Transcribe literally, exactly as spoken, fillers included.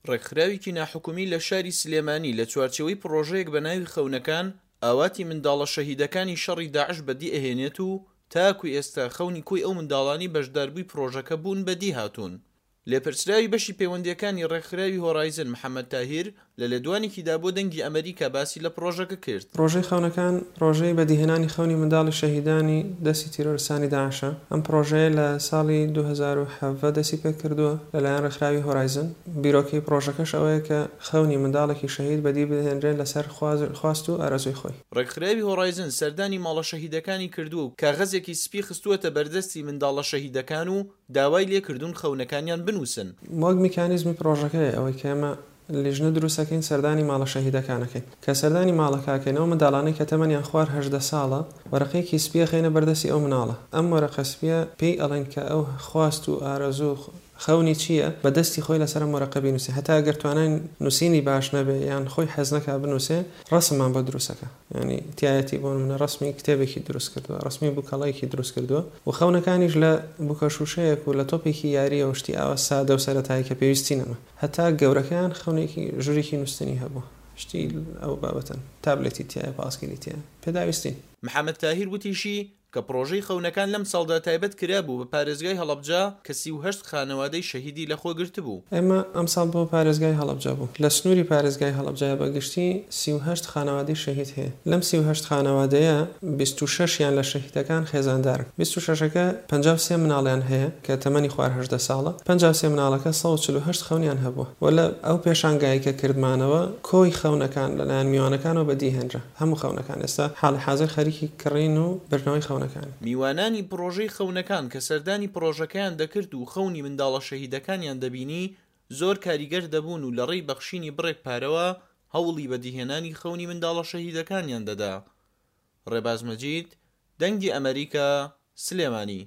ڕێکخراوێکی ناحکومی لە شاری سلێمانی لە چوارچێوەی پڕۆژەیەک بە ناوی خەونەکان ئاواتی منداڵە شەهیدەکانی شەڕی داعش بەدی ئەهێنێت و تاکو ئێستا خەونی کۆی ئەو منداڵانی بەشداربووی پڕۆژەکە بوون بەدی هاتوون. لێپرسراوی بەشی پەیوەندیەکانی ڕێکخراوی هۆرایزن محەممەد تاهیر لە لێدوانێکیدا بۆ دەنگی ئەمریکا باسی لە پڕۆژەکە کرد. پڕۆژەی خەونەکان پڕۆژەی بەدیهێنانی خەونی منداڵی شەهیدانی دەستی تیرۆرستانی داعشە. ئەم پڕۆژەیە لە ساڵی دوو هەزار و حەڤدە دەستی پێکردووە لەلایەن ڕێکخراوی هۆرایزن. بیرۆکەی پڕۆژەکەش ئەوەیە کە خەونی منداڵێکی شەهید بەدی بهێنرێن لەسەر خواست و ئارەزووی خۆی. ڕێکخراوی هۆرایزن سەردانی ماڵە شەهیدەکانی کردووە و کاغەزێکی سپی خستووەتە بەردەستی منداڵە شەهیدەکان و داوای لێکردوون خەونەکانیان بنووسن. وەک میکانیزمی پڕۆژەکەیە ئەوەی کە ئێمە لیژنە دروستەکەین سەردانی ماڵە شەهیدەکانەکەین. کە سەردانی ماڵەکەکەینەوە منداڵانەی کە تەمەنیان خوار هەژدە ساڵە وەرەقەیەکی سپیە خەینە بەردەستی ئەو مناڵە. ئەم وەرەقە سپیە پێی ئەڵێن کە ئەو خواست و ئارەزوو خەونی چییە بەدەستی خۆی لەسەر ئەم وەرەقە بینووسێ. هەتا ئەگەر توانای نووسینی باش نەبێ یان خۆی حەز نەکا بنووسێ ڕەسممان بۆ دروستەکە، یعنی تایەتی بۆ منە ڕەسمی کتێبێکی دروست کردووە، ڕەسمی بووکەڵەیەکی دروست کردووە و خەونەکانیش لە بووکە شوشەیەک و لە تۆپێکی یاریەوە شتی ئاوا سادە و سەرەتایی کە پێویستی نەما. هەتا گەورەکەیان خەونێکی ژوورێکی نووسنی هەبوو، شتی ئەو بابەتەن، تابلێتی تایە، پاسکیلی تایە، پێداویستین. محەممەد تاهیر وتیشی کە پڕۆژەی خەونەکان لەم ساڵدا تایبەت کرابوو بە پارێزگای هەڵەبجە کە سی و هەشت خانەوادەی شەهیدی لەخۆ گرتبوو. ئێمە ئەم ساڵ بۆ پارێزگای هەڵەبجە بوو. لە سنووری پارێزگای هەڵەبجە بەگشتی سی و هەشت خانەوادەی شەهید هەیە. لەم سی و هەشت خانەوادەیە بیست و شەشیان لە شەهیدەکان خێزاندارن. بیست و شەشەکە پەنجا و سێ مناڵیان هەیە کە تەمەنی خوار هەژدە ساڵە. پەنجا و سێ مناڵەکە سەد و چل و هەشت خەونیان هەبووە. و لە ئەو پێشانگایی کە کردمانەوە کۆی خەونەکان لەلایەن میوانەکانەوە بەدیهێنرا. هەموو خەونەکان ئێستا حاڵی حاضر خەریکی کڕین و بردنەوەی خەونەکان. میوانانی پڕۆژەی خەونەکان کە سەردانی پڕۆژەکەیان دەکرد و خەونی منداڵە شەهیدەکانیان دەبینی زۆر کاریگەر دەبوون و لە ڕێی بەخشینی بڕێک پارەوە هەوڵی بەدیهێنانی خەونی منداڵە شەهیدەکانیان دەدا. ڕێباز مەجید، دەنگی ئەمریکا، سلێمانی.